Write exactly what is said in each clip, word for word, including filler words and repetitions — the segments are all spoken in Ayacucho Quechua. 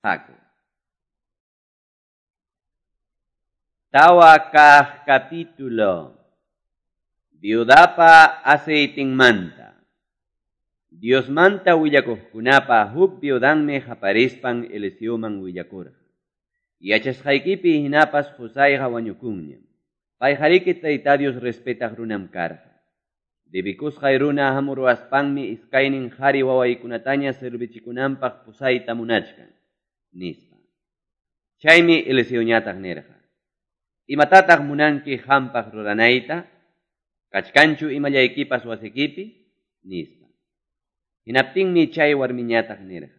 Haku. Tawa kaq capítulo. Viudapa aceitinmanta. Diosmanta willakuqkunapa huk viudanmi qaparispan Eliseoman willakurqa. Yachasqaykipi hinapas qusayqa wañukunñam. Payqariki Tayta Dios respetaq runam karqa. Debikusqay runa hamuruwaspanmi iskaynin qhari wawaykunataña servichikunanpaq pusayta munachkan, nispa. Chaymi Eliseoñataq nirqa: Imatataq munanki hampaq ruranayta? Kachkanchu imallaykipas wasikipi? Nispa. Hinaptinmi chay warmiñataq nirqa: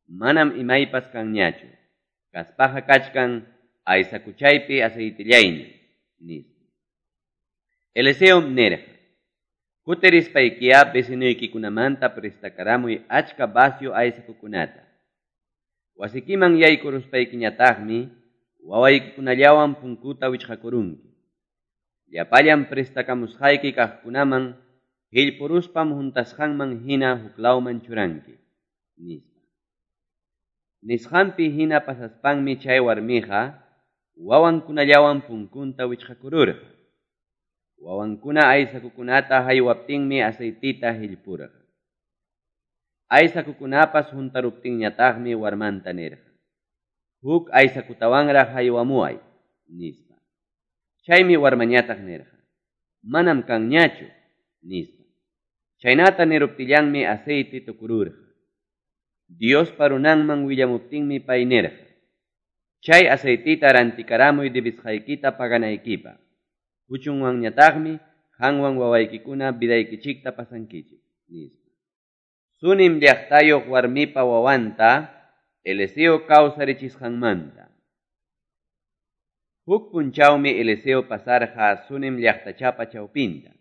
Manam imaypas kanñachu. Kaspaqa kachkan aysakuchaypi aceitillayña, nispa. Eliseom nirqa: Kutirispaykiya vecinuykikunamanta prestakaramuy achka vacio aysakukunata. Wasikiman yaykuruspaykiñataqmi wawaykikunallawan punkuta wichqakurunki. Llapallan prestakamusqayki kaqkunaman hillpuruspam huntasqanman hina huklawman churanki, nispa. Nisqanpi hina pasaspanmi chay warmiqa wawankunallawan punkunta wichqakururqa. Wawankuna aysakukunata haywaptinmi aceitita hillpurqa. Aysakukunapas huntaruptinñataqmi warmanta nirqa: Huk aysakutawanraq haywamuway, nispa. Chaymi warmañataq nirqa: Manam kanñachu, nispa. Chaynata niruptillanmi aceite tukururqa. Diospa runanman willamuptinmi pay nirqa: Chay aceitita rantikaramuy debisqaykita paganaykipaq. Huchunwanñataqmi qanwan wawaykikuna vidaykichikta pasankichik, nispa. Sunim llaqtayuq warmipa wawanta Eliseo kawsarichisqanmanta. Huk punchawmi Eliseo pasarqa Sunim llaqtachapa chawpinta.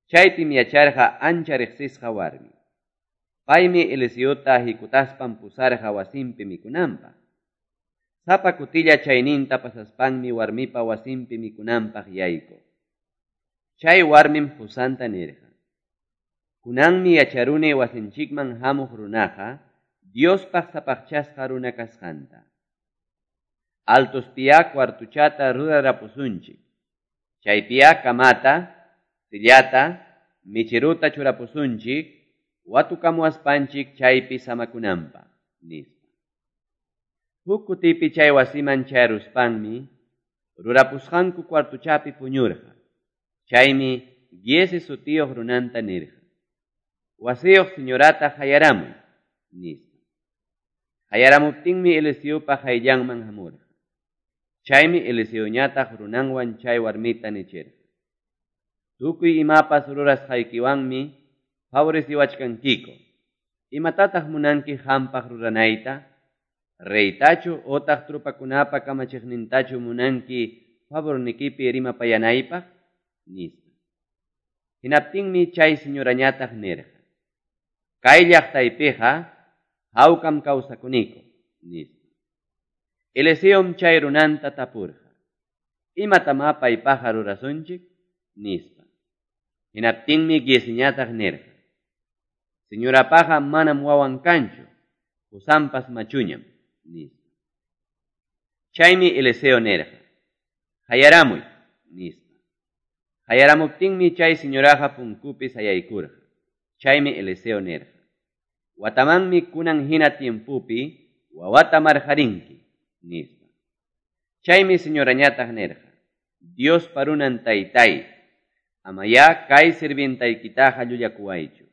Chaypim yacharqa ancha riqsisqa warmi. Paymi Eliseota hikutaspan pusarqa wasinpi mikunanpaq. Sapa kutilla chayninta pasaspanmi warmipa wasinpi mikunanpaq yaykuq. Chay warmim qusanta nirqa: Kunanmi yacharuni wasinchikman hamuq runaqa Diospaq sapaqchasqa runa kasqanta. Altospiya cuartuchata rurarapusunchik. Chaypiya kamata, sillata, michiruta churapusunchik, watukamuwaspanchik chaypi samakunanpaq, nispa. Huk kutipi chay wasiman chayaruspanmi rurapusqanku cuartuchapi puñurqa. Chaymi Giezi sutiyuq runanta nirqa: Wasiyuq señorata hayaramuy, nispa. Hayaramuptinmi Eliseopa hayllanman hamurqa. Chaymi Eliseoñataq runanwan chay warmita nichirqa: Tukuy imapas rurasqaykiwanmi favoreciwachkankiku. Imatataq munanki hampaq ruranayta? Reytachu otaq trupakunapa kamachiqnintachu munanki favornikipi rimapayanaypaq? Nispa. Hinaptinmi chay señorañataq nirqa: Kay llaqtaypiqa hawkam kawsakuniku, nispa. Eliseom chay runanta tapurqa: Imatamá paypaqa rurasunchik? Nispa. Hinaptinmi Giesiñataq nirqa: Señorapaqa manam wawan kanchu, qusanpas machuñam, nispa. Chaymi Eliseo nirqa: Hayaramuy, nispa. Hayaramuptinmi chay señoraqa punkupi sayaykurqa. Chaymi Eliseo nirqa: Watamanmi kunan hina tiempopi wawata marqarinki, nispa. Chaymi señorañataq nirqa: Diospa runan taytay, amayá kay sirvientaykitaqa llullakuwaychu,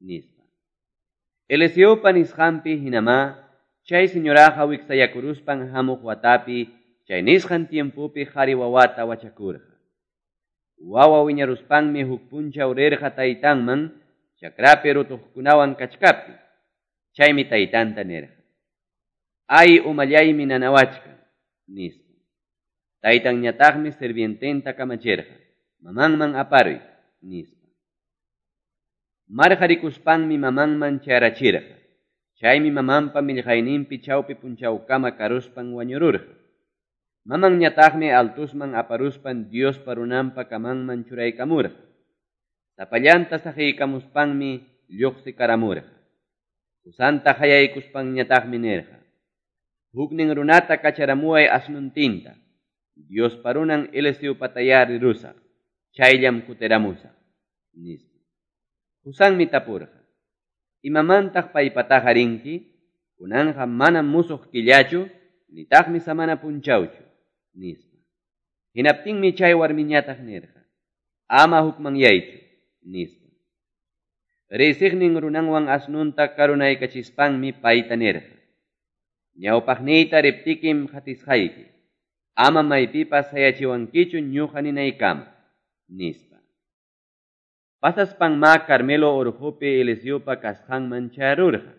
nispa. Eliseopa nisqanpi hinamá chay señoraqa wiksayakuruspan hamuq watapi chay nisqan tiempopi qhari wawata wachakurqa. Wawa wiñaruspanmi huk punchaw rirqa taytanman chakrapi rutuqkunawan kachkaptin. Chaymi taytanta nirqa: Ay umallaymi nanawachkan, nispa. Taytanñataqmi sirviententa kamachirqa: Mamanman aparuy, nispa. Marqarikuspanmi mamanman chayrachirqa. Chaymi mamanpa millqayninpi chawpi punchawkama karuspan wañururqa. Mamanñataqmi altusman aparuspan Diospa runanpa kamanman churaykamurqa. Sapallanta saqiykamuspanmi lluqsikaramurqa. Qusanta hayaykuspanñataqmi nirqa: Huknin runata kacharamuway asnuntinta. Diospa runan Eliseopatayá rirusaq. Chayllam kutiramusaq, nispa. Qusanmi tapurqa: Imamantaq paypataqa rinki? Kunanqa manam musuq killachu, nitaqmi samana punchawchu, nispa. Hinaptinmi chay warmiñataq nirqa: Ama hukmanyaychu, nispa. Riysiqnin runanwan asnunta karunaykachispanmi payta nirqa: Ñawpaqniyta riptikim qatisqayki. Ama maypipas sayachiwankichu ñuqa ninaykama, nispa. Pasaspanmá Carmelo urqupi Eliseopa kasqanman chayarurqa.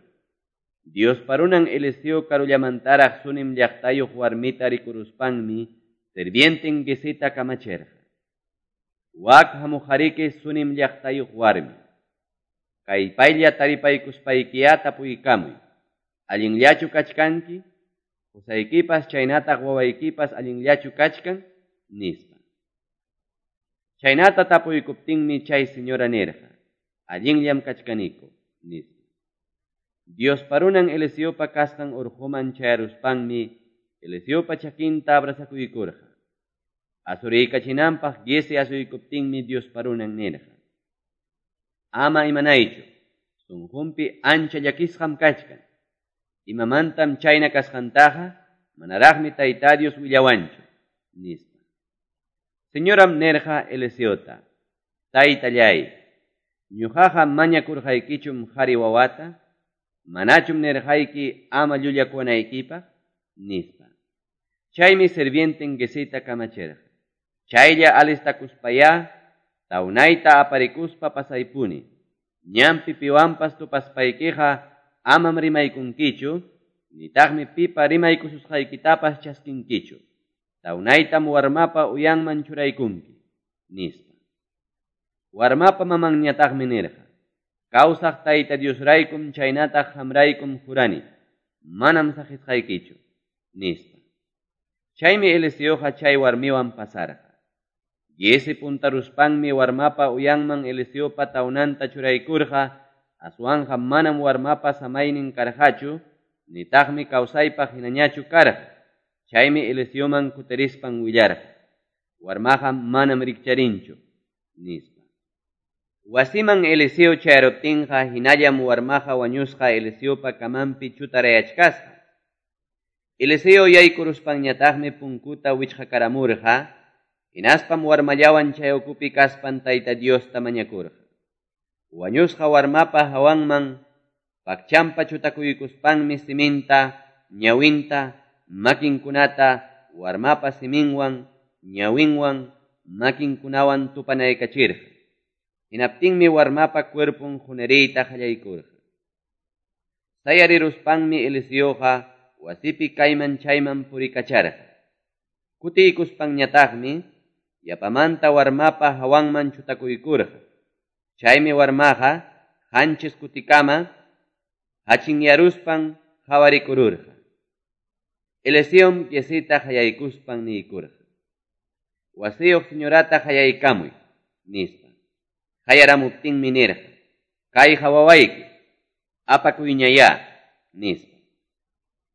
Diospa runan Eliseo karullamantaraq Sunem llaqtayuq warmita rikuruspanmi sirvienten Giezita kamachirqa: Wak hamuqariki Sunem llaqtayuq warmi. Kay paylla taripaykuspaykiyá tapuykamuy. Allinllachu kachkanki? Qusaykipas chaynataq wawaykipas allinllachu kachkan? Nispa. Chaynata tapuykuptinmi chay señora nirqa: Allinllam kachkaniku, nispa. Diospa runan Eliseopa kasqan urquman chayaruspanmi Eliseopa chakinta abrazakuykurqa. Asuriykachinanpaq Giezi asuykuptinmi Diospa runan nirqa: Ama imanaychu, sunqunpi ancha llakisqam kachkan. Imamantam chayna kasqantaqa manaraqmi Tayta Dios willawanchu, nispa. Señoram nirqa Eliseota: Taytallay, ñuqaqa mañakurqaykichum qari wawata, manachum nirqayki ama llullakuwanaykipaq, nispa. Chaymi sirvienten Giezita kamachirqa: Chaylla alistakuspayá, tawnayta aparikuspa pasaypuni. Ñanpi piwanpas tupaspaykiqa amam rimaykunkichu, nitaqmi pipa rimaykususqaykitapas chaskinkichu. Tawnaytam warmapa uyanman churaykunki, nispa. Warmapa mamanñataqmi nirqa: Kawsaq Tayta Diosraykum chaynataq qamraykum jurani, manam saqisqaykichu, nispa. Chaymi Eliseoqa chay warmiwan pasarqa. Giezi puntaruspanmi warmapa uyanman Eliseopa tawnanta churaykurqa, aswanqa manam warmapa samaynin karqachu, nitaqmi kawsaypaq hinañachu karqa. Chaymi Eliseoman kutirispan willarqa: Warmaqa manam rikcharinchu, nispa. Wasiman Eliseo chayaruptinqa hinallam warmaqa wañusqa Eliseopa kamanpi chutarayachkasqa. Eliseo yaykuruspanñataqmi punkuta wichqakaramurqa, hinaspam warmallawan chay ukupi kaspan Tayta Diosta mañakurqa. Wañusqa warmapa hawanman pakchampa chutakuykuspanmi siminta, ñawinta, makinkunata warmapa siminwan, ñawinwan, makinkunawan tupanaykachirqa. Hinaptinmi warmapa cuerpon huneriyta qallaykurqa. Sayariruspanmi Eliseoqa wasipi kayman chayman purikacharqa. Kutiykuspanñataqmi yapamanta warmapa hawanman chutakuykurqa. Chaymi warmaqa qanchis kutikama hachinyaruspan hawarikururqa. Eliseom Giezita qayaykuspan niykurqa: Wasiyuq señorata qayaykamuy, nispa. Qayaramuptinmi nirqa: Kayqa wawayki, apakuyñayá, nispa.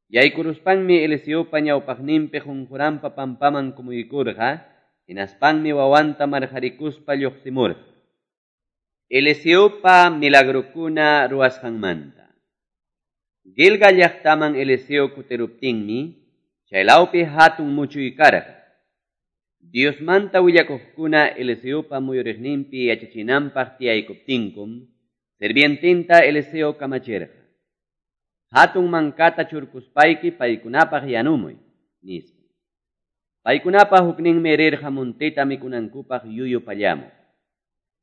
Yaykuruspanmi Eliseopa ñawpaqninpi qunquranpa pampaman kumuykurqa, hinaspanmi wawanta marqarikuspa lluqsimurqa. Eliseopa milagrokuna ruwasqanmanta. Gilgal llaqtaman Eliseo kutiruptinmi, chaylawpi hatun muchuy karqa. Diosmanta willakuqkuna Eliseopa muyuriqninpi yachachinanpaq tiyaykuptinkum, sirvientinta Eliseo kamachirqa: Hatun mankata churkuspayki paykunapaq yanumuy, nispa. Paykunapa hukninmi rirqa muntita mikunankupaq yuyu pallamuq.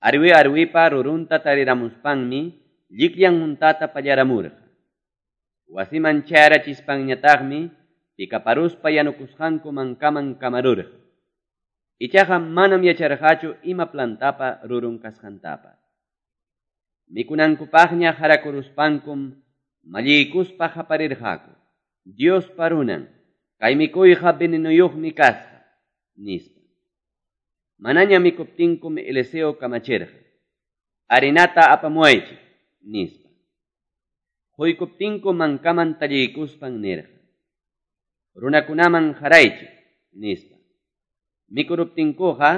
Arwi arwipa rurunta tariramuspanmi llikllan muntata pallaramurqa. Wasiman chayarachispanñataqmi pikaparuspa yanukusqanku mankaman kamarurqa. Ichaqa manam yacharqachu ima plantapa rurun kasqantapas. Mikunankupaqña harakuruspankum malliykuspa qaparirqaku: Diospa runan, kay mikuyqa venenuyuqmi kasqa, nispa. Manaña mikuptinkum Eliseo kamachirqa: Harinata apamuwaychik, nispa. Quykuptinku mankaman talliykuspan nirqa: Runakunaman qaraychik, nispa. Mikuruptinkuqa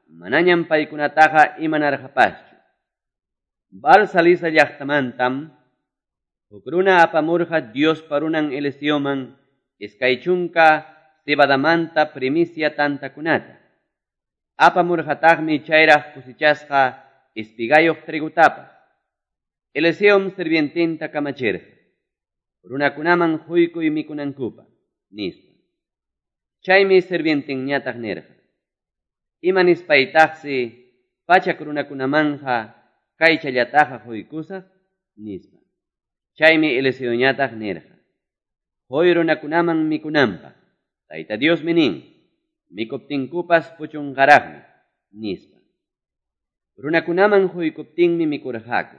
manañam paykunataqa imanarqapaschu. Baal-salisa llaqtamantam huk runa apamurqa Diospa runan Eliseoman iskay chunka cebadamanta primicia tantakunata. Apamurqataqmi chayraq cosechasqa espigayuq trigotapas. Eliseom sirviententa kamachirqa. Runakunaman quykuy mikunankupaq, nispa. Chaymi sirvientenñataq nirqa. Ima nispaytaqsi pachak runakunamanqa kaychallataqa quykusaq, nispa. Chaymi Eliseoñataq nirqa. Huy runakunaman mikunanpaq. Tayta Diosmi nin, mikuptinkupas puchunqaraqmi, nispa. Runakunaman quykuptinmi mikurqaku.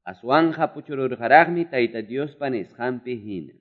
Aswanqa puchururqaraqmi Tayta Diospa nisqanpi hina.